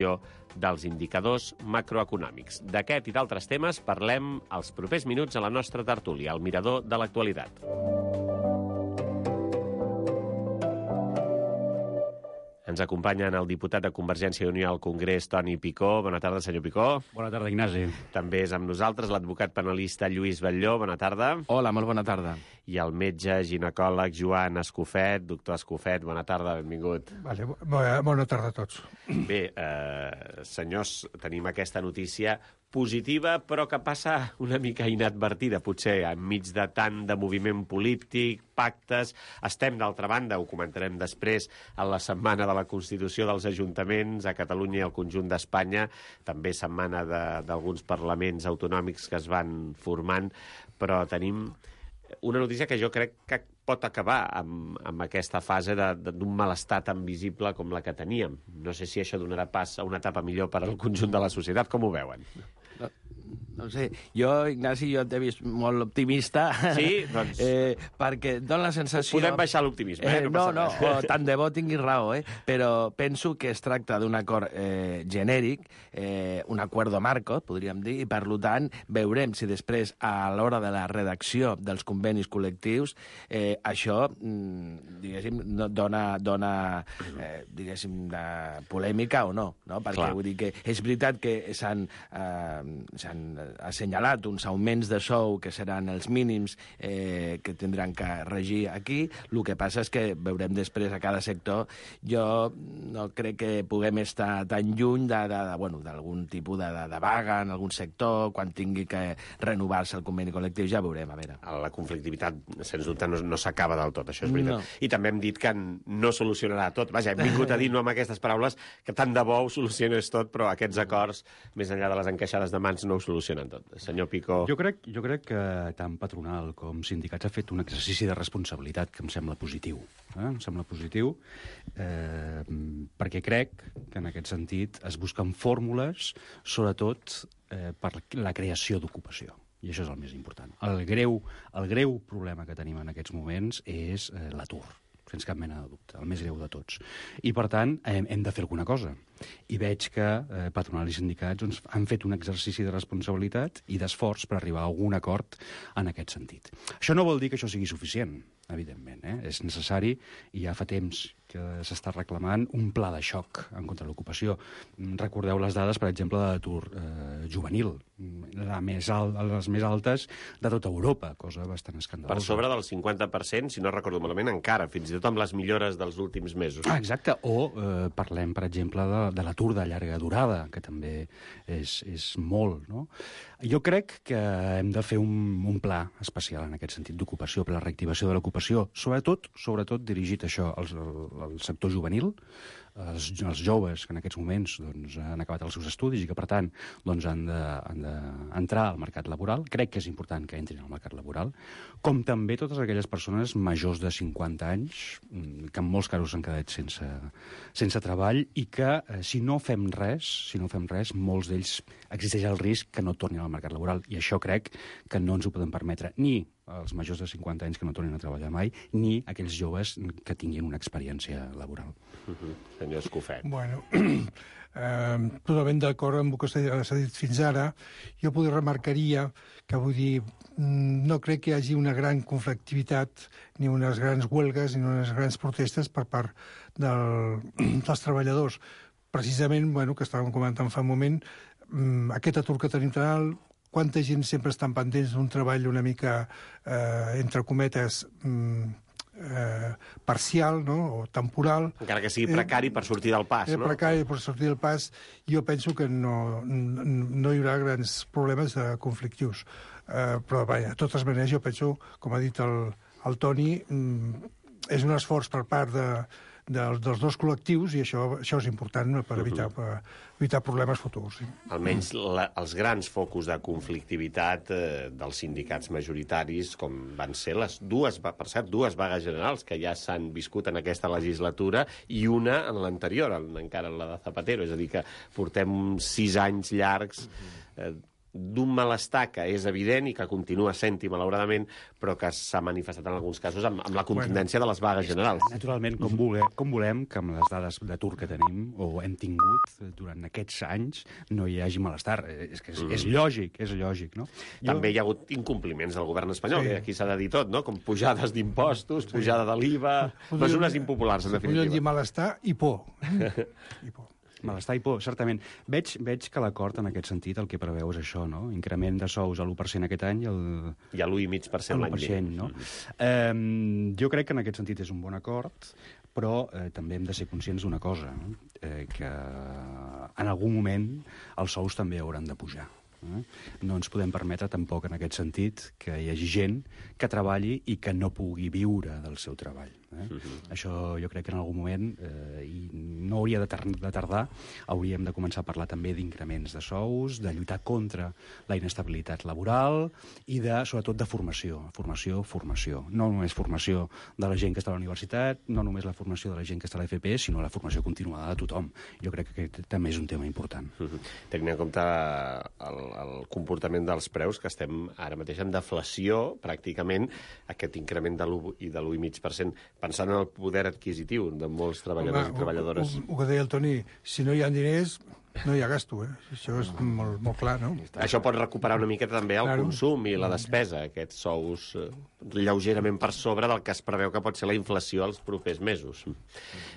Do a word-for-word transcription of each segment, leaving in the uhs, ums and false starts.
dels indicadors macroeconòmics. D'aquest i d'altres temes parlem els propers minuts a la nostra tertúlia, al Mirador de l'Actualitat. Ens acompanyen el diputat de Convergència i Unió al Congrés, Toni Picó. Bona tarda, senyor Picó. Bona tarda, Ignasi. També és amb nosaltres l'advocat penalista Lluís Batlló. Bona tarda. Hola, molt bona tarda. I el metge ginecòleg Joan Escofet. Doctor Escofet, bona tarda, benvingut. Vale, bona, bona tarda a tots. Bé, eh, senyors, tenim aquesta notícia positiva, però que passa una mica inadvertida, potser, enmig de tant de moviment polític, pactes. Estem, d'altra banda, ho comentarem després, a la setmana de la Constitució dels Ajuntaments a Catalunya i al conjunt d'Espanya, també setmana d'alguns parlaments autonòmics que es van formant, però tenim una notícia que jo crec que pot acabar amb, amb aquesta fase d'un malestar tan visible com la que teníem. No sé si això donarà pas a una etapa millor per al conjunt de la societat. Com ho veuen? No, no sé, jo, Ignasi, jo t'he vist molt optimista. Sí? Doncs... Eh, perquè dona la sensació... Podem baixar l'optimisme, eh? No, no, no, o tant de bo tinguis raó, eh? Però penso que es tracta d'un acord eh, genèric, eh, un acuerdo marco, podríem dir, i per tant veurem si després, a l'hora de la redacció dels convenis col·lectius, eh, això, diguéssim, dona, dona eh, diguéssim, de polèmica o no, no? Perquè Clar. Vull dir que és veritat que s'han eh, s'han assenyalat uns augments de sou que seran els mínims eh, que tindran que regir aquí. El que passa és que veurem després a cada sector. Jo no crec que puguem estar tan lluny de, de, de, bueno, d'algun tipus de, de, de vaga en algun sector, quan tingui que renovar-se el conveni col·lectiu, ja veurem, a veure. La conflictivitat, sens dubte, no, no s'acaba del tot, això és veritat. No. I també hem dit que no solucionarà tot. Vaja, hem vingut a dir, no amb aquestes paraules, que tant de bo ho solucionés tot, però aquests acords, més enllà de les encaixades de mans, no ho solucionen tot. Senyor Picó... Jo crec, jo crec que tant patronal com sindicats ha fet un exercici de responsabilitat que em sembla positiu. Eh? Em sembla positiu eh, perquè crec que en aquest sentit es busquen fórmules, sobretot eh, per la creació d'ocupació. I això és el més important. El greu, el greu problema que tenim en aquests moments és eh, l'atur, sense cap mena de dubte, el més greu de tots. I, per tant, hem, hem de fer alguna cosa. I veig que eh, patronal i sindicats doncs, han fet un exercici de responsabilitat i d'esforç per arribar a algun acord en aquest sentit. Això no vol dir que això sigui suficient, evidentment. Eh? És necessari, i ja fa temps que s'està reclamant, un pla de xoc en contra de l'ocupació. Recordeu les dades, per exemple, de l'atur eh, juvenil, la més alt, les més altes de tota Europa, cosa bastant escandalosa. Per sobre del cinquanta per cent, si no recordo malament, encara, fins i tot amb les millores dels últims mesos. Ah, exacte. O eh, parlem, per exemple, de, de l'atur de llarga durada, que també és, és molt, no? Jo crec que hem de fer un, un pla especial en aquest sentit d'ocupació, per la reactivació de l'ocupació, sobretot, sobretot dirigit a això, als, al sector juvenil, els, els joves que en aquests moments doncs, han acabat els seus estudis i que, per tant, doncs, han d'entrar de, al mercat laboral. Crec que és important que entrin al mercat laboral, com també totes aquelles persones majors de cinquanta anys, que en molts casos s'han quedat sense, sense treball i que, eh, si no fem res, si no fem res, molts d'ells existeix el risc que no tornin al mercat laboral. I això crec que no ens ho podem permetre, ni els majors de cinquanta anys que no tornin a treballar mai, ni aquells joves que tinguin una experiència laboral. Uh-huh. Senyor Escofet. Bueno, eh, totalment d'acord amb el que s'ha dit fins ara. Jo potser remarcaria que, vull dir, no crec que hi hagi una gran conflictivitat, ni unes grans huelgues, ni unes grans protestes per part del, dels treballadors. Precisament, bueno, que estàvem comentant fa un moment, aquest atur que tenim tan alt, quanta gent sempre estan pendents d'un treball una mica, eh, entre cometes, eh, parcial, no?, o temporal. Encara que sigui precari eh, per sortir del pas, eh, no? Precari per sortir del pas, jo penso que no, no hi haurà grans problemes de conflictius. Eh, però, vaja, de totes maneres, jo penso, com ha dit el, el Toni, és un esforç per part de, dels, dels dos col·lectius, i això, això és important per evitar, per evitar problemes futurs. Sí. Almenys la, els grans focus de conflictivitat eh, dels sindicats majoritaris, com van ser les dues, per cert, dues vagues generals que ja s'han viscut en aquesta legislatura i una en l'anterior, encara la de Zapatero, és a dir, que portem sis anys llargs eh, d'un malestar que és evident i que continua sent-hi, malauradament, però que s'ha manifestat en alguns casos amb, amb la contundència de les vagues generals. Naturalment, com volem, com volem que amb les dades d'atur que tenim, o hem tingut durant aquests anys, no hi hagi malestar. És que és, és lògic, és lògic, no? També hi ha hagut incompliments del govern espanyol, sí. que aquí s'ha de dir tot, no? Com pujades d'impostos, sí. pujada de l'I V A... Mesures impopulars, en definitiva. Podríem dir malestar i por. I por. Malestar i por, certament. Veig, veig que l'acord, en aquest sentit, el que preveu és això, no? Increment de sous a l'u per cent aquest any i el... I a l'u coma cinc per cent l'any vinent. No? Mm. Eh, jo crec que en aquest sentit és un bon acord, però eh, també hem de ser conscients d'una cosa, no? eh, que en algun moment els sous també hauran de pujar. Eh? No ens podem permetre tampoc, en aquest sentit, que hi hagi gent que treballi i que no pugui viure del seu treball. Eh? Uh-huh. Això jo crec que en algun moment, eh, i no hauria de, tar de tardar, hauríem de començar a parlar també d'increments de sous, de lluitar contra la inestabilitat laboral i, de, sobretot, de formació. Formació, formació. No només formació de la gent que està a la universitat, no només la formació de la gent que està a l'F P, sinó la formació continuada de tothom. Jo crec que aquest també és un tema important. Uh-huh. Tenint en compte el, el comportament dels preus, que estem ara mateix en deflació, pràcticament, aquest increment de l'u i de l'u coma cinc per cent, pensant en el poder adquisitiu de molts treballadors Home, i treballadores. El, el que deia el Toni, si no hi ha diners, no hi ha gasto, eh? Això és molt, molt clar, no? Això pot recuperar una miqueta també el claro. consum i la despesa, aquests sous eh, lleugerament per sobre del que es preveu que pot ser la inflació els propers mesos.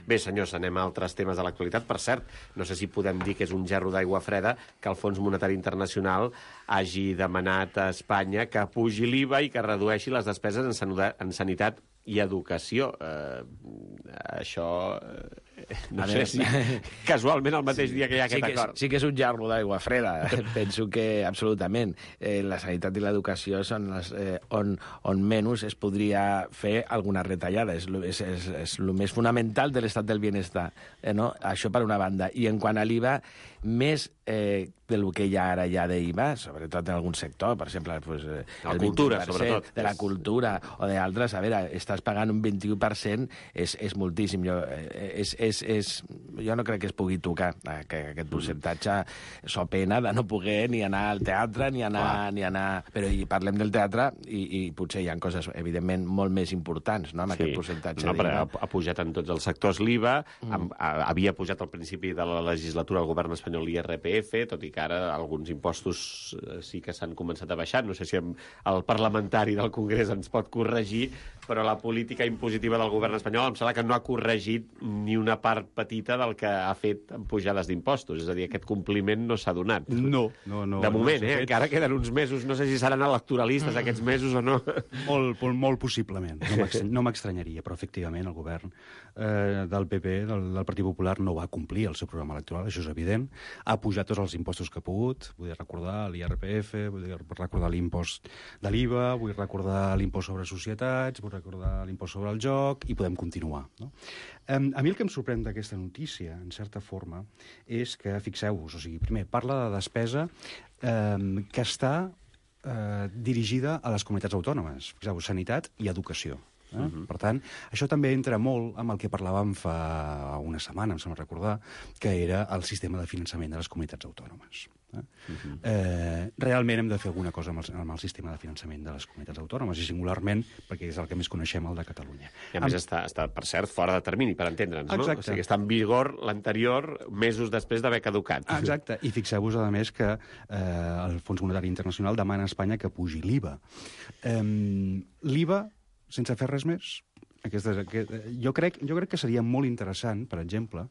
Bé, senyors, anem a altres temes de l'actualitat. Per cert, no sé si podem dir que és un gerro d'aigua freda que el Fons Monetari Internacional hagi demanat a Espanya que pugi l'I V A i que redueixi les despeses en sanitat i educació. Eh, això... Eh, no a sé si casualment el mateix sí, dia que hi ha aquest sí acord. És, sí que és un jarro d'aigua freda. Penso que absolutament. Eh, la sanitat i l'educació són les, eh, on, on menys es podria fer alguna retallada. És, és, és, és el més fonamental de l'estat del benestar. Eh, no? Això per una banda. I en quant a l'I V A, més eh, del que hi ha ara ja d'I V A, sobretot en algun sector, per exemple, pues, eh, la cultura, sobretot. De la cultura o d'altres, a veure, estàs pagant un vint-i-u per cent, és, és moltíssim. Jo, eh, és, és, és, jo no crec que es pugui tocar eh, que aquest percentatge. So pena de no poder ni anar al teatre, ni anar... Ni anar... Però i parlem del teatre i, i potser hi ha coses, evidentment, molt més importants, no?, amb sí. aquest percentatge. No, però ha, ha pujat en tots els sectors l'I V A, mm. ha, havia pujat al principi de la legislatura el govern espanyol l'I R P F, tot i que ara alguns impostos sí que s'han començat a baixar. No sé si el parlamentari del Congrés ens pot corregir, però la política impositiva del govern espanyol em sembla que no ha corregit ni una part petita del que ha fet en pujades d'impostos. És a dir, aquest compliment no s'ha donat. No, no, no. De moment, no eh? Fet... Encara queden uns mesos. No sé si seran electoralistes aquests mesos o no. Molt, molt possiblement. No m'estranyaria, però efectivament el govern eh, del P P, del, del Partit Popular, no va complir el seu programa electoral, això és evident. Ha pujat tots els impostos que ha pogut. Vull recordar l'I R P F, vull recordar l'impost de l'I V A, vull recordar l'impost sobre societats, vull recordar l'impost sobre el joc, i podem continuar. No? A mi el que em sorprèn d'aquesta notícia, en certa forma, és que, fixeu-vos, o sigui, primer, parla de despesa eh, que està eh, dirigida a les comunitats autònomes. Fixeu-vos, sanitat i educació. Eh? Uh-huh. Per tant, això també entra molt amb el que parlàvem fa una setmana, em sembla recordar, que era el sistema de finançament de les comunitats autònomes. Eh? Uh-huh. eh, realment hem de fer alguna cosa amb el, amb el sistema de finançament de les comunitats autònomes, i singularment perquè és el que més coneixem, el de Catalunya. I a més amb... està, està, per cert, fora de termini, per entendre'ns, no? O sigui, està en vigor l'anterior mesos després d'haver caducat. Exacte, i fixeu-vos, a més, que eh, el Fons Monetari Internacional demana a Espanya que pugi l'I V A. Eh, L'I V A, sense fer res més, aquestes, aquest, jo, crec, jo crec que seria molt interessant, per exemple,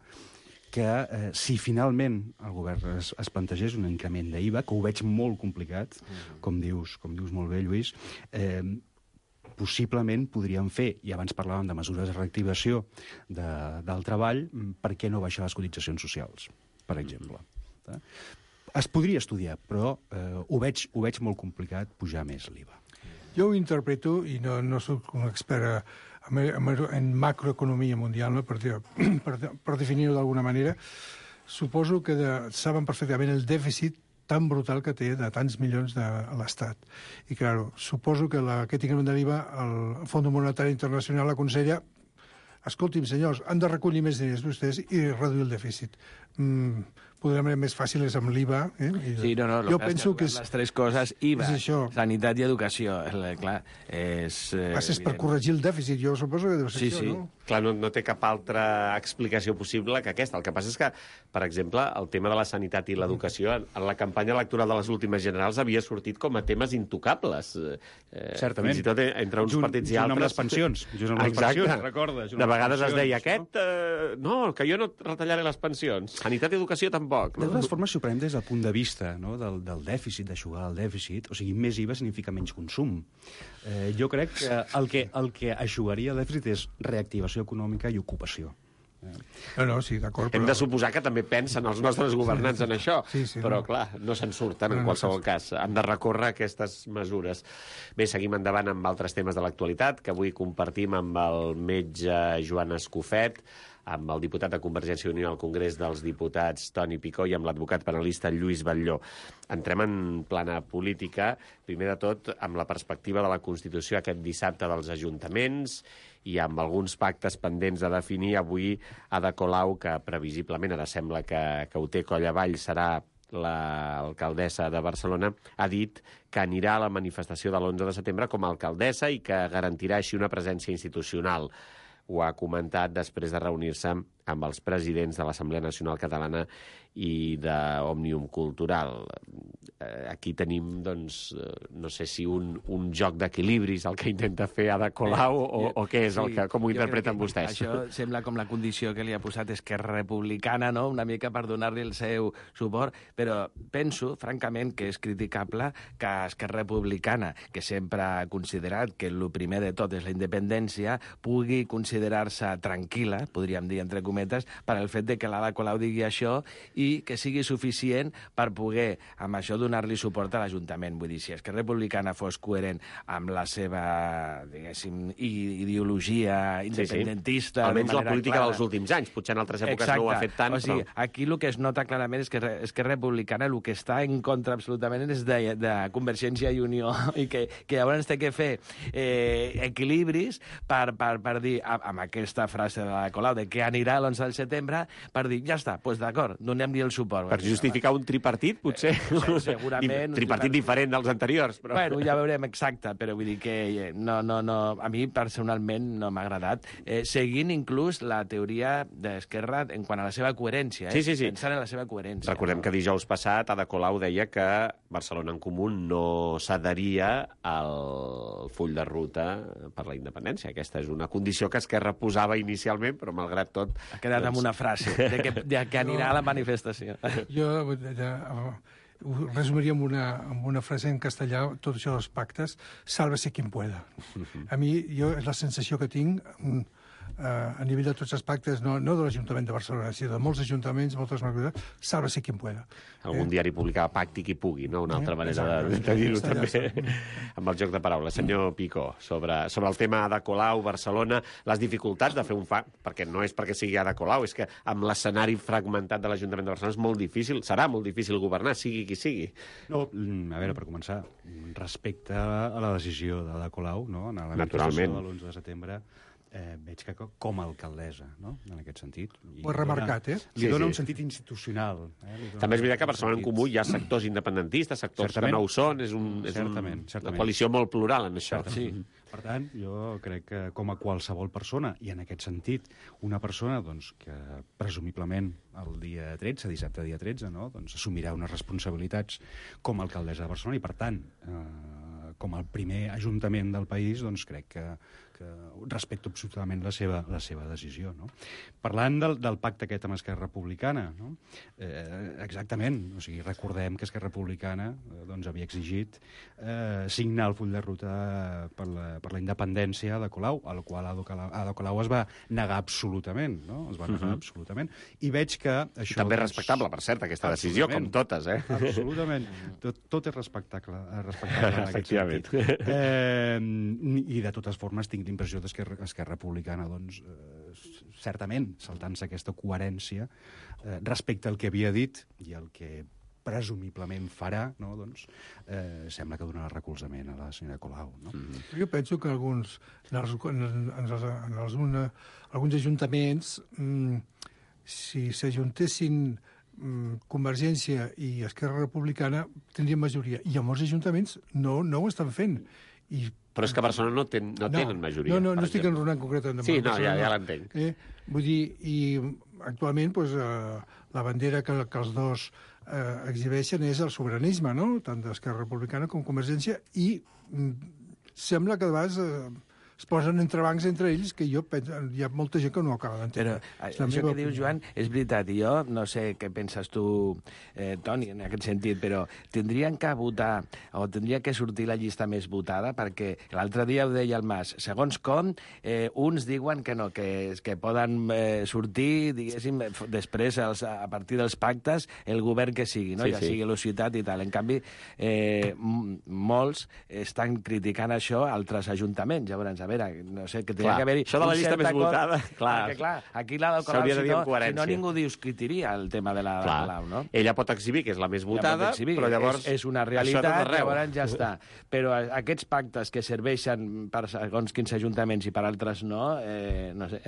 que eh, si finalment el govern es, es plantegés un increment d'I V A, que ho veig molt complicat, mm. com dius, com dius molt bé, Lluís, eh, possiblement podríem fer, i abans parlàvem de mesures de reactivació de, del treball, per què no baixar les cotitzacions socials, per exemple. Mm. Es podria estudiar, però eh, ho, veig, ho veig molt complicat pujar més l'I V A. Jo ho interpreto, i no, no soc un expert en macroeconomia mundial, no? per, per, per definir-ho d'alguna manera, suposo que de, saben perfectament el dèficit tan brutal que té de tants milions de l'Estat. I, clar, suposo que la, aquest increment de l'I V A, el Fons Monetari Internacional aconsella: escolti'm, senyors, han de recollir més diners vostès i reduir el dèficit. Mm, podrà ser més fàcil és amb l'I V A. Eh? Sí, no, no, jo penso que és, les tres coses, I V A, és això. sanitat i educació, clar, és... Eh, Passes per corregir el dèficit, jo suposo que deu ser sí, això, sí. no? Clar, no, no té cap altra explicació possible que aquesta. El que passa és que, per exemple, el tema de la sanitat i l'educació, en, en la campanya electoral de les últimes generals havia sortit com a temes intocables. Eh, Certament. Fins i tot entre uns Junt, partits i junt altres. amb les pensions. Junt amb les Exacte. pensions, recorda. De vegades es deia, aquest... Eh, no, que jo no retallaré les pensions. Sanitat i educació tampoc. De No? totes formes, si ho prenem des del punt de vista, no, del, del dèficit, d'aixugar el dèficit, o sigui, més I V A significa menys consum. Eh, jo crec que el que, el que aixugaria el dèficit és reactivació econòmica i ocupació. No, no, sí, d'acord. Hem però... de suposar que també pensen els nostres governants en això, Sí, sí, però, no. clar, no se'n surten en No, no, qualsevol cas. Han de recórrer aquestes mesures. Bé, seguim endavant amb altres temes de l'actualitat, que avui compartim amb el metge Joan Escofet, amb el diputat de Convergència i Unió al Congrés dels Diputats, Toni Picó, i amb l'advocat penalista Lluís Batlló. Entrem en plana política, primer de tot, amb la perspectiva de la Constitució aquest dissabte dels ajuntaments i amb alguns pactes pendents a definir. Avui Ada Colau, que previsiblement ara sembla que, que ho té coll avall, serà l'alcaldessa de Barcelona, ha dit que anirà a la manifestació de l'onze de setembre com a alcaldessa i que garantirà així una presència institucional. Ho ha comentat després de reunir-se amb els presidents de l'Assemblea Nacional Catalana i d'Òmnium Cultural. Aquí tenim, doncs, no sé si un, un joc d'equilibris el que intenta fer Ada Colau o, o què és el que, com ho interpreten vostès? Això sembla com la condició que li ha posat Esquerra Republicana, no?, una mica per donar-li el seu suport, però penso, francament, que és criticable que Esquerra Republicana, que sempre ha considerat que el primer de tot és la independència, pugui considerar-se tranquil·la, podríem dir entre cometes, per al fet de que l'Ada Colau digui això i que sigui suficient per poder, amb això, donar-li suport a l'Ajuntament. Vull dir, si Esquerra Republicana fos coherent amb la seva, diguéssim, ideologia independentista... Sí, sí. Almenys la política clara. dels últims anys. Potser en altres èpoques Exacte. no ho ha fet tant, o sigui, però... aquí el que es nota clarament és que Esquerra Republicana el que està en contra absolutament és de, de Convergència i Unió i que, que llavors té que fer eh, equilibris per, per, per dir, amb aquesta frase de la Colau, de que anirà l'onze de setembre, per dir, ja està, doncs d'acord, donem-li el suport. Per justificar un tripartit, potser? Eh, segurament. Tripartit diferent dels anteriors, però... Bueno, ja veurem exacte, però vull dir que no, no, no, a mi personalment no m'ha agradat, eh, seguint inclús la teoria d'Esquerra en quant a la seva coherència, eh? Sí, sí, sí. Pensant en la seva coherència. Recordem no? que dijous passat Ada Colau deia que Barcelona en Comú no s'adheria al full de ruta per la independència. Aquesta és una condició que Esquerra posava inicialment, però malgrat tot... Ha quedat doncs... amb una frase, de que, de que anirà a la manifestació. Jo de, de, ho resumiria amb una, amb una frase en castellà, tot això dels pactes, sálvese quien pueda. A mi, jo, és la sensació que tinc uh, a nivell de tots els pactes, no, no de l'Ajuntament de Barcelona, sinó de molts ajuntaments, moltes marques, sálvese quien pueda. Algun eh? diari publicava pacti qui pugui, no? Una altra eh? manera de, de dir-ho també, amb el joc de paraules. Senyor Picó, sobre, sobre el tema Ada Colau, Barcelona, les dificultats de fer un fa... perquè no és perquè sigui Ada Colau, és que amb l'escenari fragmentat de l'Ajuntament de Barcelona és molt difícil, serà molt difícil governar, sigui qui sigui. No, a veure, per començar, respecte a la decisió d'Ada Colau, no?, en la Naturalment. de l'onze de setembre, eh, veig que com a alcaldessa, no?, en aquest sentit. Ho he remarcat, eh? Li Sí, dona sí. un sentit institucional. Eh? Li dona També és veritat que a un Barcelona en sentit- Comú hi ha sectors independentistes, sectors Certament. que no ho són, és, un, és Certament, un, certament. una coalició molt plural en això. Sí. Per tant, jo crec que com a qualsevol persona, i en aquest sentit, una persona doncs, que presumiblement el dia tretze, dissabte dia tretze, no? doncs, assumirà unes responsabilitats com a alcaldessa de Barcelona i, per tant, eh, com el primer ajuntament del país, doncs crec que, que respecto absolutament la seva, la seva decisió. No? Parlant del, del pacte aquest amb Esquerra Republicana, no? eh, exactament, o sigui, recordem que Esquerra Republicana eh, doncs, havia exigit eh, signar el full de ruta per la, per la independència de Colau, a la qual Ada Colau, Ada Colau es va negar absolutament, no? Es va negar uh -huh. absolutament. I veig que això... També és doncs, respectable, per cert, aquesta decisió, com totes, eh? Absolutament. Tot, tot és respectable, respectable en aquest Efectivament. sentit. Eh, I de totes formes tinc l'impressió d'Esquerra Esquerra Republicana, doncs, eh, certament, saltant-se aquesta coherència eh, respecte al que havia dit i el que presumiblement farà, no? doncs, eh, sembla que donarà recolzament a la senyora Colau. No? Mm. Jo penso que alguns, en els, en els, en els, una, alguns ajuntaments, mm, si s'ajuntessin Convergència i Esquerra Republicana tindrien majoria, i a molts ajuntaments no, no ho estan fent. I, Però és que a Barcelona no, ten, no, no tenen majoria. No, no, no estic enronant concretament. Sí, no, ja, ja l'entenc. Eh? Vull dir, i actualment pues, eh, la bandera que, que els dos eh, exhibeixen és el sobiranisme, no? Tant d'Esquerra Republicana com Convergència, i mm, sembla que de vegades eh, es posen entrebancs entre ells que jo penso, hi ha molta gent que no ho acaba d'entendre. Però això que opinió. Dius, Joan, és veritat. I jo no sé què penses tu, eh, Toni, en aquest sentit, però tindrien que votar o tindria que sortir la llista més votada, perquè l'altre dia ho deia el Mas, segons com, eh, uns diuen que no, que, que poden eh, sortir, diguéssim, després, els, a partir dels pactes, el govern que sigui, no? Sí, ja sí. sigui la ciutat i tal. En canvi, eh, molts estan criticant això a altres ajuntaments. Llavors, a veure, no sé, que tenia Clar, que haver-hi això de la llista més acord, votada, clar. Perquè, clar, aquí l'ha del S'hauria de dir amb si no, si coherència. no ningú discutiria el tema de la Clar. Colau, no? Ella pot exhibir que és la més votada, Ja exhibir, però llavors... És, és una això realitat, tot arreu. llavors ja està. Però aquests pactes que serveixen per segons quins ajuntaments i per altres no, eh, no sé,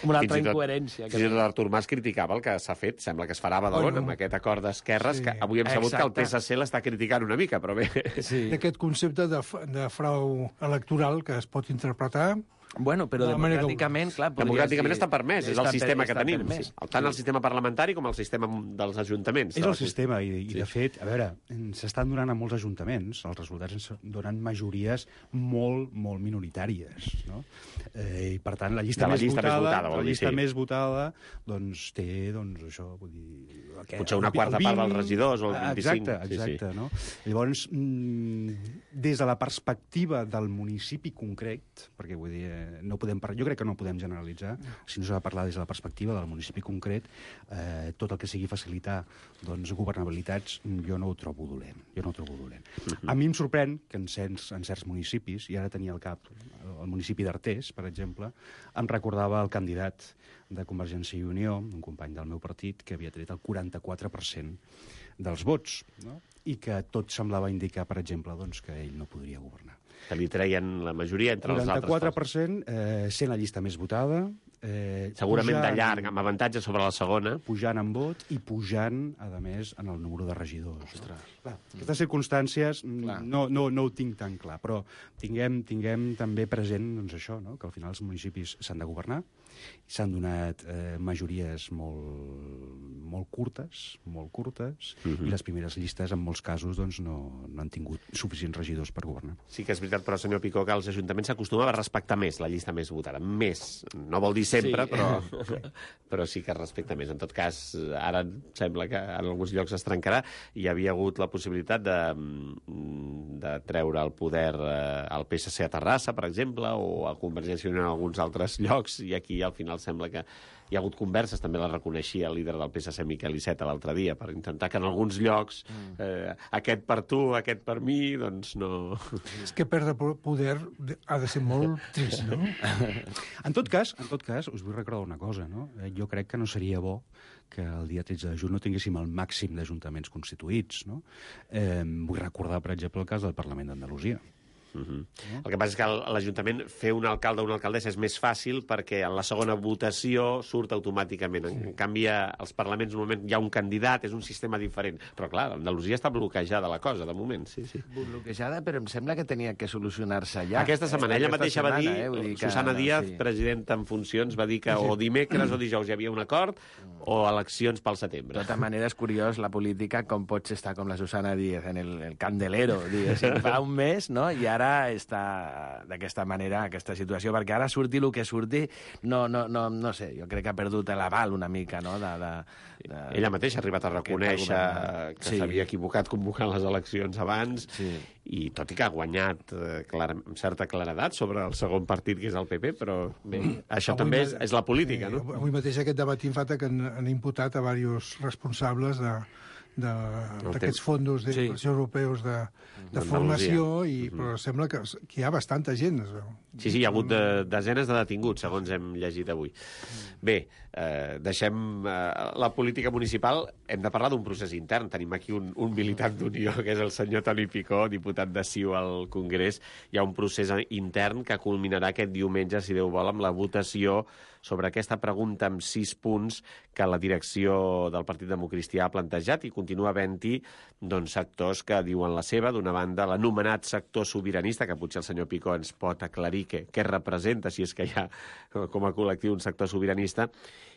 una altra Fins i tot- incoherència. Fins i tot l'Artur Mas criticava el que s'ha fet, sembla que es farà a Badalona, Oh, no. amb aquest acord d'esquerres, Sí. que avui hem sabut Exacte. que el P S C l'està criticant una mica, però bé... Sí. D'aquest concepte de, f- de frau electoral que es pot interpretar. Bueno, però De la manera que democràticament, clar... podries Democràticament dir- està permès, és el està sistema per- que està tenim. permès. Sí. Tant el sistema parlamentari com el sistema dels ajuntaments. És el sistema, i, i de fet, a veure, s'estan donant a molts ajuntaments, els resultats ens donen majories molt, molt minoritàries, no? Eh, I, per tant, la llista, De la més, llista més votada, votada, vol la dir, llista sí. més votada, doncs té, doncs, això, vull dir... Què? Potser una El quarta vint- part dels regidors o el vint-i-cinc. Exacte, Sí, sí. exacte, no? Llavors, mm, des de la perspectiva del municipi concret, perquè vull dir, eh, no podem parlar, jo crec que no podem generalitzar, si no s'ha de parlar des de la perspectiva del municipi concret, eh, tot el que sigui facilitar doncs, governabilitats, jo no ho trobo dolent. Jo no ho trobo dolent. Mhm. A mi em sorprèn que en certs, en certs municipis, i ara tenia al cap el municipi d'Artés, per exemple, em recordava el candidat de Convergència i Unió, un company del meu partit, que havia tret el quaranta-quatre per cent dels vots, no? I que tot semblava indicar, per exemple, doncs, que ell no podria governar. Que li treien la majoria entre els altres. quaranta-quatre per cent, eh, sent la llista més votada, eh, Segurament de pujant- llarg, amb avantatge sobre la segona. pujant en vot i pujant, a més, en el número de regidors. No? Clar, aquestes circumstàncies Clar. no, no, no ho tinc tan clar, però tinguem, tinguem també present doncs, això, no? Que al final els municipis s'han de governar, s'han donat eh, majories molt, molt curtes, molt curtes, Mhm. i les primeres llistes, en molts casos, doncs, no, no han tingut suficients regidors per governar. Sí que és veritat, però, senyor Picó, que els ajuntaments s'acostumen a respectar més la llista més votada. Més. No vol dir sempre, Sí. però, però sí que es respecta més. En tot cas, ara em sembla que en alguns llocs es trencarà. Hi havia hagut la possibilitat de, de treure el poder eh, al P S C a Terrassa, per exemple, o a Convergència i Unió en alguns altres llocs, i aquí al final sembla que hi ha hagut converses, també la reconeixia el líder del P S C, Miquel Iceta, l'altre dia, per intentar que en alguns llocs eh, aquest per tu, aquest per mi, doncs no... És que perdre po- poder de- ha de ser molt trist, no? En tot cas, en tot cas, us vull recordar una cosa, no? Eh, Jo crec que no seria bo que el dia tretze de juny no tinguéssim el màxim d'ajuntaments constituïts, no? Eh, vull recordar, per exemple, el cas del Parlament d'Andalusia. Uh -huh. El que passa és que el- l'Ajuntament fer un alcalde o una alcaldessa és més fàcil perquè en la segona votació surt automàticament. En, en canvi, als parlaments normalment hi ha un candidat, és un sistema diferent. Però, clar, Andalusia està bloquejada la cosa, de moment, sí, sí. Bloquejada, però em sembla que tenia que solucionar-se ja. Aquesta setmana, ella Aquesta mateixa va dir, setmana, eh? Vull dir que, Susana Díaz, sí. presidenta en funcions, va dir que o dimecres o dijous hi havia un acord o eleccions pel setembre. De tota manera, és curiós la política, com pots estar com la Susana Díaz en el, el candelero, diguéssim, fa un mes, no? I ara està d'aquesta manera, aquesta situació, perquè ara surti el que surti, no, no, no, no sé, jo crec que ha perdut l'aval una mica, no? De, de, de... Ella mateixa ha arribat a reconèixer govern. que Sí. s'havia equivocat convocant les eleccions abans, Sí. i tot i que ha guanyat eh, clara, amb certa claredat sobre el segon partit, que és el P P, però bé, això Avui també ma- és, és la política, eh, no? Avui mateix aquest debat infata que han, han imputat a diversos responsables de d'aquests fons d'inversió Sí. europeus de, de D'Andalusia. formació, i, però sembla que, que hi ha bastanta gent. Es veu. Sí, sí, hi ha hagut de, desenes de detinguts, segons hem llegit avui. Bé, eh, deixem eh, la política municipal, hem de parlar d'un procés intern. Tenim aquí un, un militant d'Unió, que és el senyor Toni Picó, diputat de C I U al Congrés. Hi ha un procés intern que culminarà aquest diumenge, si Déu vol, amb la votació sobre aquesta pregunta amb sis punts que la direcció del Partit Democristià ha plantejat, i continua havent-hi doncs, sectors que diuen la seva. D'una banda, l'anomenat sector sobiranista, que potser el senyor Picó ens pot aclarir què, què representa, si és que hi ha com a col·lectiu un sector sobiranista,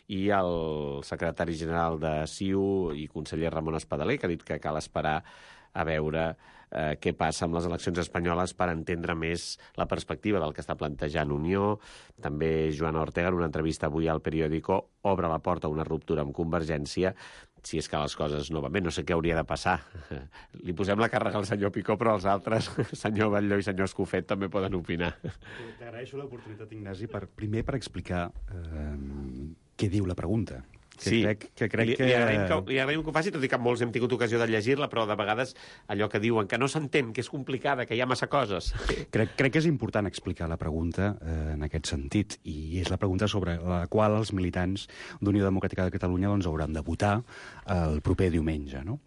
i el secretari general de C I U i conseller Ramon Espadaler, que ha dit que cal esperar a veure eh, què passa amb les eleccions espanyoles per entendre més la perspectiva del que està plantejant Unió. També Joana Ortega, en una entrevista avui al periòdico, obre la porta a una ruptura amb Convergència, si és que les coses no van bé. No sé què hauria de passar. Li posem la càrrega al senyor Picó, però els altres, senyor Batlló i senyor Escofet, també poden opinar. T'agraeixo l'oportunitat, Ignasi, per, primer per explicar eh, què diu la pregunta. Que sí, crec, que crec li, que... li, agraïm que, li agraïm que ho faci, tot i que molts hem tingut ocasió de llegir-la, però de vegades allò que diuen que no s'entén, que és complicada, que hi ha massa coses. Crec, crec que és important explicar la pregunta eh, en aquest sentit, i és la pregunta sobre la qual els militants d'Unió Democràtica de Catalunya doncs, hauran de votar el proper diumenge. No?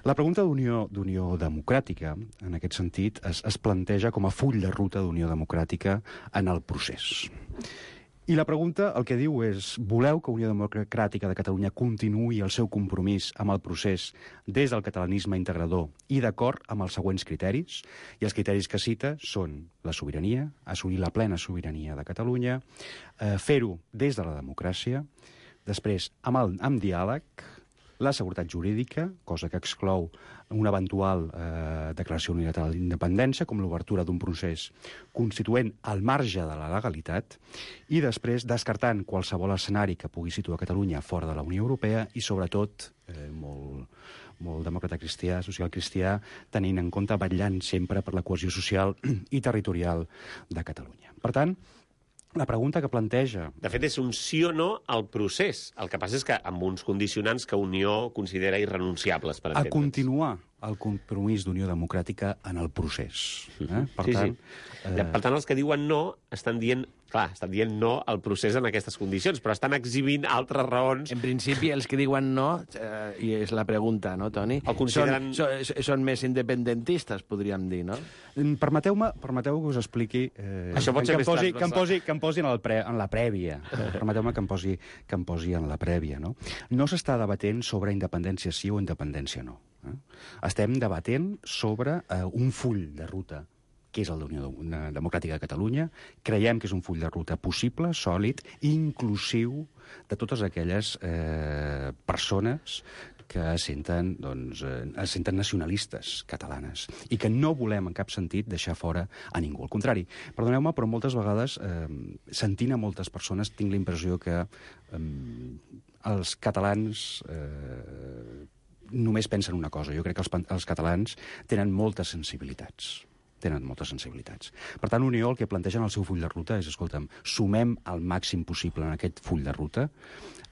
La pregunta d'Unió d'Unió Democràtica, en aquest sentit, es, es planteja com a full de ruta d'Unió Democràtica en el procés. I la pregunta el que diu és: voleu que Unió Democràtica de Catalunya continuï el seu compromís amb el procés des del catalanisme integrador i d'acord amb els següents criteris? I els criteris que cita són la sobirania, assolir la plena sobirania de Catalunya, eh, fer-ho des de la democràcia, després amb, el, amb diàleg, la seguretat jurídica, cosa que exclou una eventual eh, declaració unilateral d'independència, com l'obertura d'un procés constituent al marge de la legalitat, i després descartant qualsevol escenari que pugui situar Catalunya fora de la Unió Europea i, sobretot, eh, molt, molt demòcrata cristià, social cristià, tenint en compte, vetllant sempre per la cohesió social i territorial de Catalunya. Per tant, la pregunta que planteja... De fet, és un sí o no al procés. El que passa és que amb uns condicionants que Unió considera irrenunciables, per entendre'ns. A continuar el compromís d'Unió Democràtica en el procés. Eh? Per sí, tant, sí. Eh... Per tant, els que diuen no estan dient... Clar, estan dient no al procés en aquestes condicions, però estan exhibint altres raons. En principi, els que diuen no, eh, i és la pregunta, no, Toni? El consideren... Són, són, són més independentistes, podríem dir, no? Permeteu-me permeteu que us expliqui... Eh, Això pot ser que, em més posi, que, em transversal. posi, que em posi en, el pre, en la prèvia. Permeteu-me que em posi, que em posi en la prèvia, no? No s'està debatent sobre independència sí o independència no. Eh? Estem debatent sobre eh, un full de ruta, que és el d'Unió Democràtica de Catalunya. Creiem que és un full de ruta possible, sòlid, inclusiu de totes aquelles eh, persones que es senten, doncs, eh, es senten nacionalistes catalanes i que no volem en cap sentit deixar fora a ningú. Al contrari, perdoneu-me, però moltes vegades, eh, sentint a moltes persones, tinc la impressió que eh, els catalans eh, només pensen una cosa. Jo crec que els, els catalans tenen moltes sensibilitats. tenen moltes sensibilitats. Per tant, Unió el que planteja en el seu full de ruta és, escolta'm, sumem el màxim possible en aquest full de ruta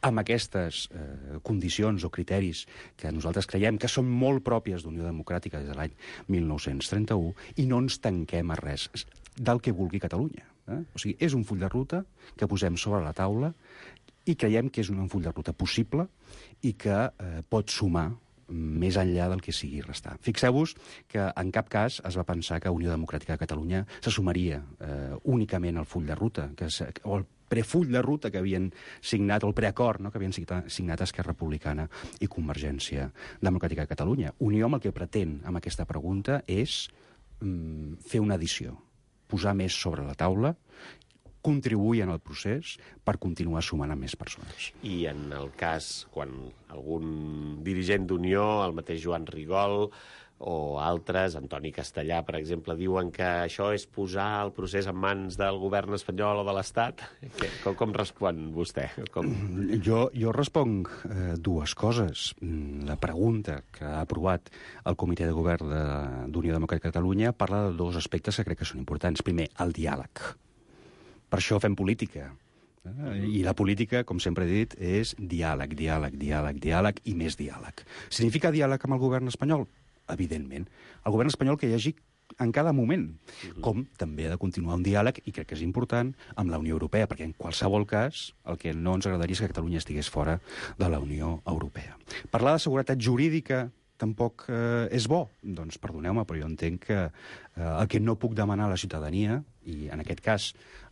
amb aquestes eh, condicions o criteris que nosaltres creiem que són molt pròpies d'Unió Democràtica des de l'any mil nou-cents trenta-u i no ens tanquem a res del que vulgui Catalunya. Eh? O sigui, és un full de ruta que posem sobre la taula i creiem que és un full de ruta possible i que eh, pot sumar més enllà del que sigui restar. Fixeu-vos que en cap cas es va pensar que Unió Democràtica de Catalunya se sumaria eh, únicament al full de ruta, que se, o el prefull de ruta que havien signat, o el preacord no, que havien signat Esquerra Republicana i Convergència Democràtica de Catalunya. Unió amb el que pretén amb aquesta pregunta és mm, fer una addició, posar més sobre la taula, contribuir en el procés per continuar sumant amb més persones. I en el cas, quan algun dirigent d'Unió, el mateix Joan Rigol o altres, Antoni Castellà, per exemple, diuen que això és posar el procés en mans del govern espanyol o de l'Estat, com, com respon vostè? Com... Jo, jo responc eh, dues coses. La pregunta que ha aprovat el Comitè de Govern d'Unió Democràtica de Catalunya parla de dos aspectes que crec que són importants. Primer, el diàleg. Per això fem política. I la política, com sempre he dit, és diàleg, diàleg, diàleg, diàleg i més diàleg. Significa diàleg amb el govern espanyol? Evidentment. El govern espanyol que hi hagi en cada moment, com també ha de continuar un diàleg, i crec que és important, amb la Unió Europea, perquè en qualsevol cas el que no ens agradaria és que Catalunya estigués fora de la Unió Europea. Parlar de seguretat jurídica tampoc eh, és bo. Doncs perdoneu-me, però jo entenc que eh, el que no puc demanar a la ciutadania, i en aquest cas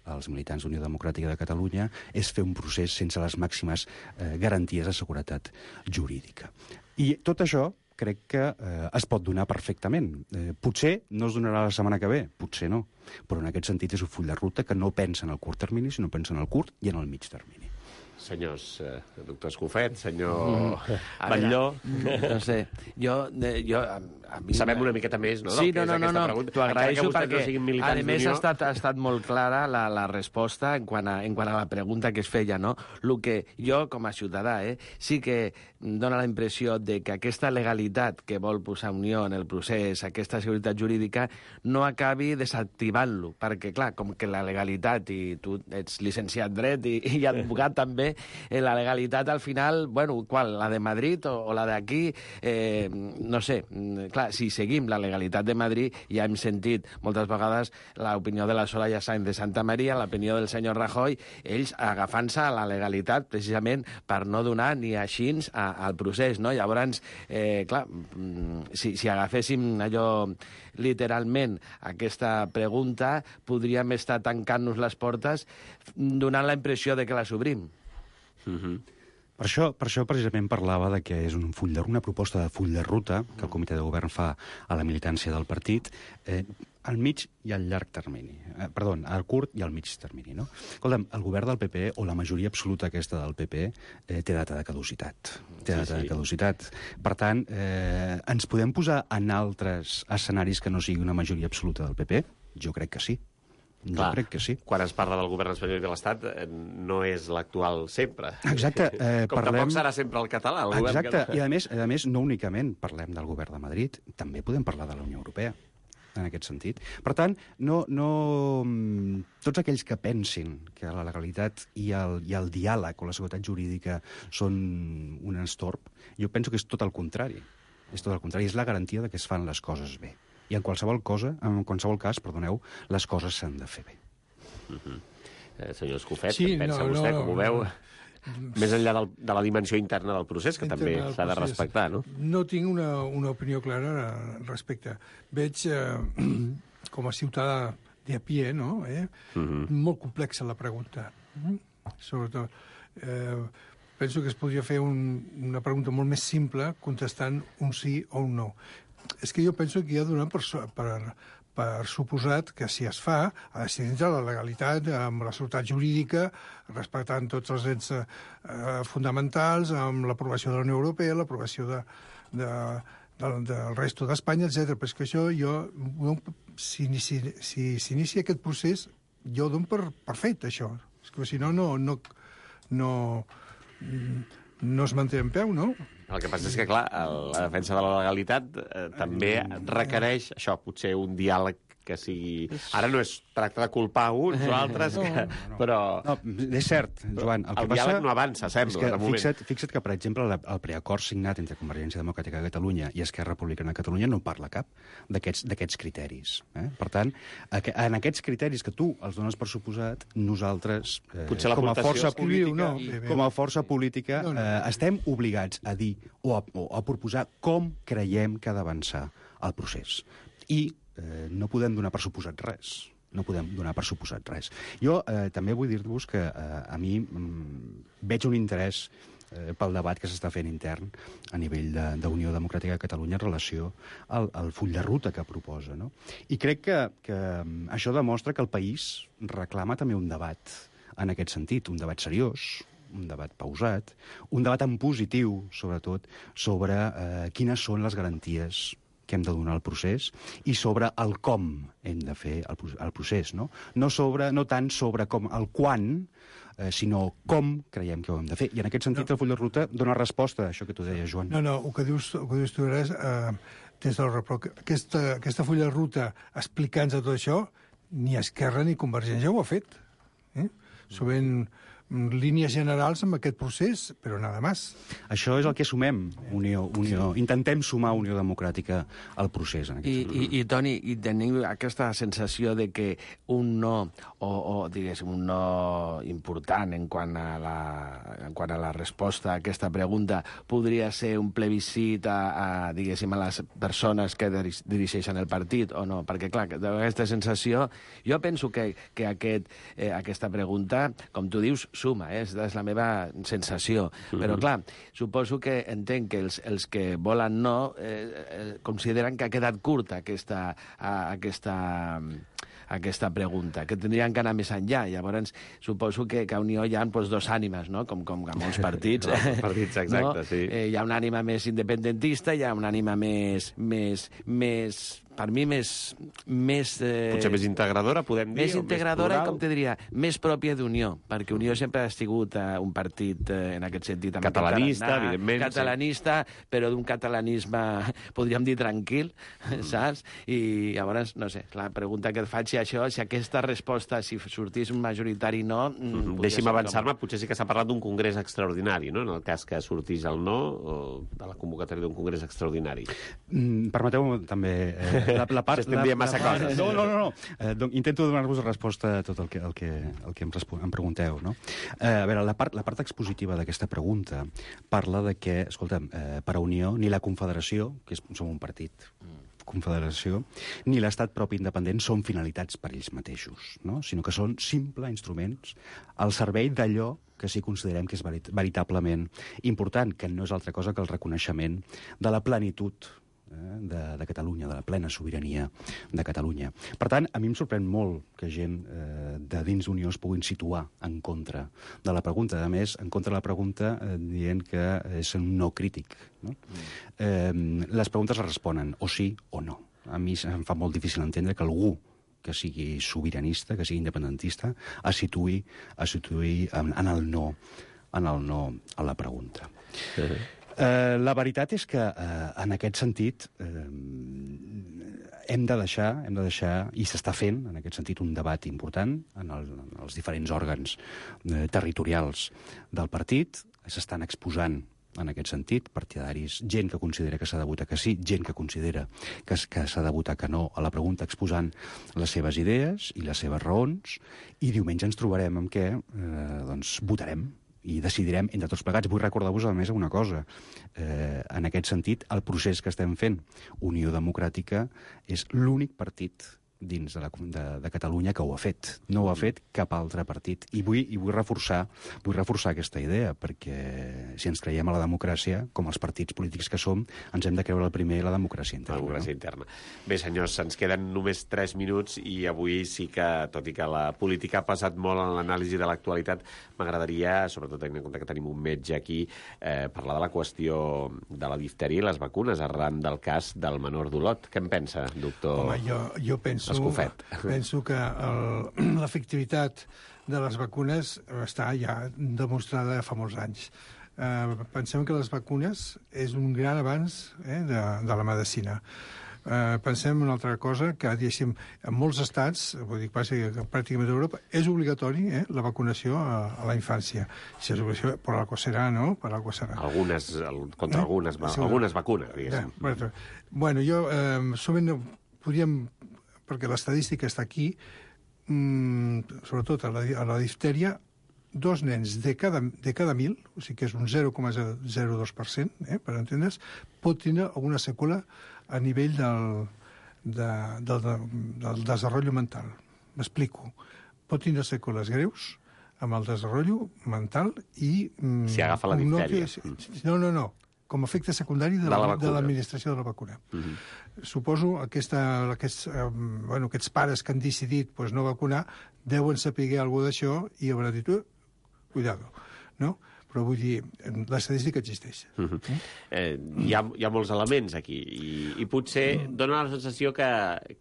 als militants d'Unió Democràtica de Catalunya, és fer un procés sense les màximes eh, garanties de seguretat jurídica. I tot això crec que eh, es pot donar perfectament. Eh, potser no es donarà la setmana que ve, potser no, però en aquest sentit és un full de ruta que no pensa en el curt termini, sinó pensa en el curt i en el mig termini. Senyors, eh, doctor Escofet, senyor mm. Batlló... No sé, jo... jo a, a mi... Sabem una miqueta més, no? Sí, no, no, no, no, no. T'ho agraeixo perquè, no a més, ha estat, ha estat molt clara la, la resposta en quant, a, en quant a la pregunta que es feia, no? El que jo, com a ciutadà, eh, sí que dona la impressió de que aquesta legalitat que vol posar Unió en el procés, aquesta seguretat jurídica, no acabi desactivant-lo, perquè, clar, com que la legalitat, i tu ets llicenciat dret i, i advocat també, eh, la legalitat al final, bueno, qual, la de Madrid o, o la d'aquí, eh, no sé, clar, si seguim la legalitat de Madrid, ja hem sentit moltes vegades l'opinió de la Soraya Sáenz de Santa Maria, l'opinió del senyor Rajoy, ells agafant-se a la legalitat precisament per no donar ni així a, al procés, no? Llavors, eh, clar, si, si agaféssim allò literalment aquesta pregunta, podríem estar tancant-nos les portes donant la impressió de que les obrim. Mm-hmm. Per això, per això precisament parlava de que és un full de, una proposta de full de ruta que el comitè de govern fa a la militància del partit, eh, al mig i al llarg termini. Eh, perdó, al curt i al mig termini, no? Escolta'm, el govern del P P, o la majoria absoluta aquesta del P P, eh, té data de caducitat. Té data sí, sí. de caducitat. Per tant, eh, ens podem posar en altres escenaris que no sigui una majoria absoluta del P P? Jo crec que sí. Jo Clar, crec que sí. Quan es parla del govern espanyol i de l'Estat, eh, no és l'actual sempre. Exacte. Eh, Com parlem... tampoc serà sempre el català. El Exacte. govern... I a més, a més, no únicament parlem del govern de Madrid, també podem parlar de la Unió Europea, en aquest sentit. Per tant, no, no... tots aquells que pensin que la legalitat i el, i el diàleg o la seguretat jurídica són un estorb, jo penso que és tot el contrari. És tot el contrari. És la garantia de que es fan les coses bé. I en qualsevol cosa, en qualsevol cas, perdoneu, les coses s'han de fer bé. Uh-huh. eh, senyor Escofet, sí, què pensa no, vostè, no, com ho no, veu? no. Més enllà del, de la dimensió interna del procés, que també s'ha de respectar, no? No tinc una, una opinió clara al respecte. Veig, eh, com a ciutadà de a pie, no? Eh? Uh-huh. Molt complexa la pregunta. Uh-huh. Sobretot, eh, penso que es podria fer un, una pregunta molt més simple contestant un sí o un no. És que jo penso que hi ha donat per, per, per suposat que si es fa, ha de ser dintre la legalitat, amb la seguretat jurídica, respectant tots els drets eh, fonamentals, amb l'aprovació de la Unió Europea, l'aprovació de, de, de, del resto d'Espanya, etcètera. Però és que això, jo, si s'inicia si, si aquest procés, jo ho dono per, per fet, això. És que si no, no, no, no, no es manté en peu, no? El que passa és que, clar, la defensa de la legalitat eh, també requereix, això, potser un diàleg que sigui... Ara no es tracta de culpar uns o altres, que... no, no. però... No, és cert, Joan. El, el que diàleg passa... no avança, sembla, que, de moment. Fixa't, fixa't que, per exemple, el preacord signat entre Convergència Democràtica de Catalunya i Esquerra Republicana de Catalunya no parla cap d'aquests criteris. Eh? Per tant, en aquests criteris que tu els dones per suposat, nosaltres, eh, com a força política, no, com a força política eh, estem obligats a dir o a, o a proposar com creiem que ha d'avançar el procés. I eh, no podem donar per suposat res. No podem donar per suposat res. Jo eh, també vull dir-vos que eh, a mi mm, veig un interès eh, pel debat que s'està fent intern a nivell d'Unió Democràtica de Catalunya en relació al, al full de ruta que proposa. No? I crec que, que això demostra que el país reclama també un debat en aquest sentit, un debat seriós, un debat pausat, un debat en positiu, sobretot, sobre eh, quines són les garanties que hem de donar al procés i sobre el com hem de fer el, el procés, no? No, sobre, no tant sobre com el quan, eh, sinó com creiem que ho hem de fer. I en aquest sentit no. El full de ruta dona resposta a això que tu deies, Joan. No, no, el que dius, el que dius tu és, eh, des del repro... aquesta, aquesta full de ruta explicant-nos tot això, ni Esquerra ni Convergència ho ha fet. Eh? Sovint línies generals amb aquest procés, però nada més. Això és el que sumem, Unió. Unió. Sí. Intentem sumar Unió Democràtica al procés. En I, i, I, Toni, i tenim aquesta sensació de que un no, o, o diguéssim, un no important en quant a la, en quant a la resposta a aquesta pregunta podria ser un plebiscit a, a, diguéssim, a les persones que dirigeixen el partit o no? Perquè, clar, aquesta sensació... Jo penso que, que aquest, eh, aquesta pregunta, com tu dius, suma, eh? És la meva sensació. Mm-hmm. Però, clar, suposo que entenc que els, els que volen no eh, eh, consideren que ha quedat curta aquesta, a, aquesta, aquesta pregunta, que tindrien que anar més enllà. Llavors, suposo que, que a Unió hi ha pues, dos ànimes, no? Com, com a molts partits. No, els partits, exacte, no? Sí. Eh, hi ha una ànima més independentista, hi ha una ànima més... més, més per mi, més... més eh, potser més integradora, podem dir? Més integradora més i, com te diria, més pròpia d'Unió, perquè Unió sempre ha sigut eh, un partit, eh, en aquest sentit... Catalanista, català, evidentment. Catalanista, sí. Però d'un catalanisme, podríem dir, tranquil, mm. saps? I llavors, no sé, la pregunta que et faig si això, si aquesta resposta, si sortís un majoritari no... Mm, deixi'm avançar-me, com... potser sí que s'ha parlat d'un congrés extraordinari, no?, en el cas que sortís el no, o de la convocatòria d'un congrés extraordinari. Mm, Permeteu-me també... Eh, La, la part, S'estem dient massa la, coses. No, no, no. no. Eh, donc, intento donar-vos resposta a tot el que, el que, el que em, em pregunteu. No? Eh, a veure, la part, la part expositiva d'aquesta pregunta parla de que, escolta'm, eh, per a Unió, ni la Confederació, que és, som un partit, confederació, ni l'estat propi independent són finalitats per ells mateixos, no? Sinó que són simples instruments al servei d'allò que sí considerem que és verit veritablement important, que no és altra cosa que el reconeixement de la plenitud De, de Catalunya, de la plena sobirania de Catalunya. Per tant, a mi em sorprèn molt que gent eh, de dins d'Unió es puguin situar en contra de la pregunta. A més, en contra de la pregunta eh, dient que és un no crític. No? Mm. Eh, les preguntes es responen o sí o no. A mi em fa molt difícil entendre que algú que sigui sobiranista, que sigui independentista, es situï, es situï en, en el no, en el no a la pregunta. Sí. Uh, la veritat és que, uh, en aquest sentit, uh, hem de deixar, hem de deixar, i s'està fent, en aquest sentit, un debat important en, el, en els diferents òrgans uh, territorials del partit. S'estan exposant, en aquest sentit, partidaris, gent que considera que s'ha de votar que sí, gent que considera que, que s'ha de votar que no a la pregunta, exposant les seves idees i les seves raons, i diumenge ens trobarem amb què uh, doncs, votarem i decidirem entre tots plegats. Vull recordar-vos, a més, una cosa. Eh, en aquest sentit, el procés que estem fent, Unió Democràtica, és l'únic partit dins de, la, de, de Catalunya que ho ha fet. No ho ha fet cap altre partit. I vull, i vull, reforçar, vull reforçar aquesta idea, perquè si ens creiem a la democràcia, com els partits polítics que som, ens hem de creure el primer la democràcia interna. La democràcia no? interna. Bé, senyors, ens queden només tres minuts i avui sí que, tot i que la política ha passat molt en l'anàlisi de l'actualitat, m'agradaria, sobretot tenint en compte que tenim un metge aquí, eh, parlar de la qüestió de la diftèria i les vacunes arran del cas del menor d'Olot. Què en pensa, doctor? Home, jo, jo penso... Escofet. Penso que l'efectivitat de les vacunes està ja demostrada fa molts anys. Eh, pensem que les vacunes és un gran avanç eh, de, de la medicina. Eh, pensem en una altra cosa, que diguéssim, en molts estats, vull dir, quasi pràcticament a Europa, és obligatori eh, la vacunació a, a la infància. Si és obligació, per algo serà, no? Per algo serà. Algunes, contra eh? algunes, sí, algunes vacunes, diguéssim. Eh, bueno, jo eh, sovint podríem, perquè l'estadística està aquí, mmm, sobretot a la, a la diftèria, dos nens de cada, de cada mil, o sigui que és un zero coma zero dos per cent, eh, per entendre's, pot tenir alguna seqüela a nivell del, de, del, del desenvolupament mental. M'explico. Pot tenir seqüeles greus amb el desenvolupament mental i... Mm, si agafa la diftèria. No, no, no. Com a efecte secundari de, la, de l'administració de la vacuna. Uh-huh. Suposo aquesta, aquests, eh, bueno, aquests pares que han decidit pues, no vacunar deuen saber alguna d'això i hauran dit, uh, cuidado, no? però vull dir, l'estadística existeix. Uh -huh. eh, hi, ha, hi ha molts elements aquí, i, i potser dona la sensació que,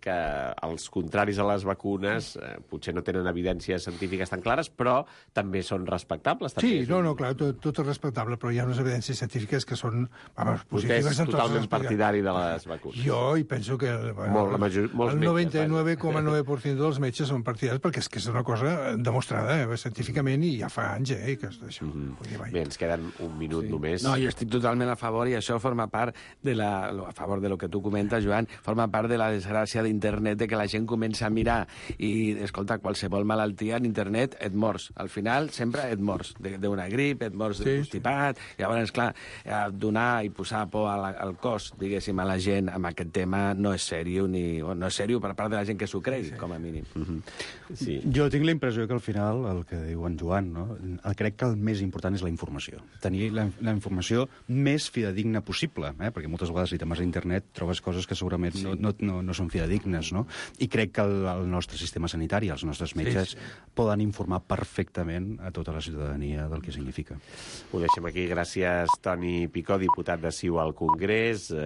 que els contraris a les vacunes eh, potser no tenen evidències científiques tan clares, però també són respectables. També Sí, és no, un... no, clar, tot, tot és respectable, però hi ha unes evidències científiques que són, vamos, positives Vostè és en tots els totalment aspectes. partidari de les vacunes. Jo hi penso que bueno, Molt, la major, molts el metges, noranta-nou coma nou per cent dels metges són partidaris, perquè és que és una cosa demostrada eh, científicament i ja fa anys eh, que és d'això. Mm Vull dir, -hmm. vai. Bé, ens queden un minut sí. només. No, jo estic totalment a favor i això forma part de la, a favor de lo que tu comentes, Joan, forma part de la desgràcia d'internet, de que la gent comença a mirar i, escolta, qualsevol malaltia en internet et mors. Al final, sempre et mors d'una grip, et mors sí, d'un constipat. Sí. Llavors, clar, donar i posar por al, al cos, diguéssim, a la gent amb aquest tema no és seriós, ni, no és seriós per part de la gent que s'ho cregui, sí. com a mínim. Mm -hmm. sí. Jo tinc la impressió que al final, el que diu en Joan, no? crec que el més important és la informació. Tenir la, la informació més fidedigna possible, eh? perquè moltes vegades si te'n vas a internet trobes coses que segurament sí. no, no, no, no són fidedignes, no? I crec que el, el nostre sistema sanitari, els nostres metges, sí, sí. poden informar perfectament a tota la ciutadania del que significa. Ho deixem aquí. Gràcies, Toni Picó, diputat de C I U al Congrés.